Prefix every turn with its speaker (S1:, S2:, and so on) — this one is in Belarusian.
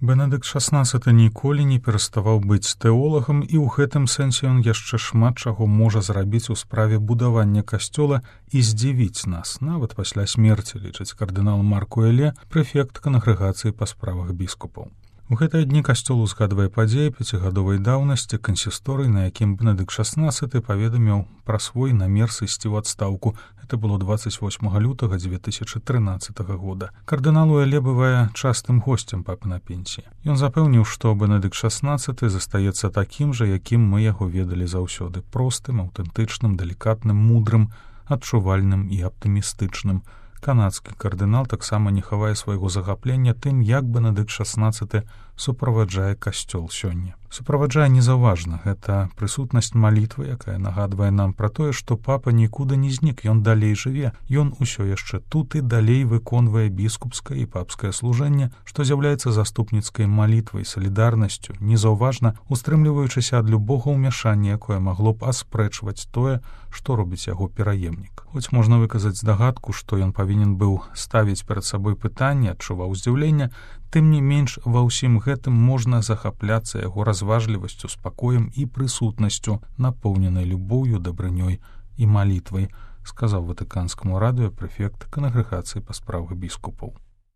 S1: Бенедыкт XVI ніколі не пераставаў быць тэолагам, і ў гэтым сэнсе ён яшчэ шмат чаго можа зрабіць у справе будавання касцёла і здзівіць нас, нават пасля смерці, лічыць кардынал Марк Уэле, прэфект кангрэгацыі па справах біскупаў. У гэтыя дні касцёл узгадвае падзеі 5гадовай даўнасці кансісторый, на якім Бенедыкт XVI паведаміў пра свой намер сысці ў адстаўку. Это было 28 лютага 2013 года. Кардынал Уэле бывае частым госцем папы на пенсіі. Ён запэўніў, што Бенедыкт XVI застаецца такім жа, якім мы яго ведалі заўсёды: простым, аўтэнтычным, далікатным, мудрым, адчувальным і аптымістычным. Канадскі кардынал таксама не хавае свайго захаплення тым, як Бенедыкт XVI суправаджае касцёл сёння. Суправаджае незаўважна, гэта прысутнасць малітвы, якая нагадвае нам пра тое, што папа нікуды не знік, ён далей жыве, ён усё яшчэ тут і далей выконвае біскупскае і папскае служэнне, што з'яўляецца заступніцкай малітвай, салідарнасцю, незаўважна устрымліваючыся ад любога ўмяшання, якое магло б аспрэчваць тое, што робіць яго пераемнік. Хоць можна выказаць здагадку, што ён павінен быў ставіць перад сабой пытанне, адчуваў здзіўленне, тым не менш ва ўсім гэтым можна захапляцца яго разважлівасцю, спакоем і прысутнасцю, напоўненай любоўю, дабрынёй і малітвай, сказаў Ватыканскаму радыё прэфект кангрэгацыі па справах біскупаў.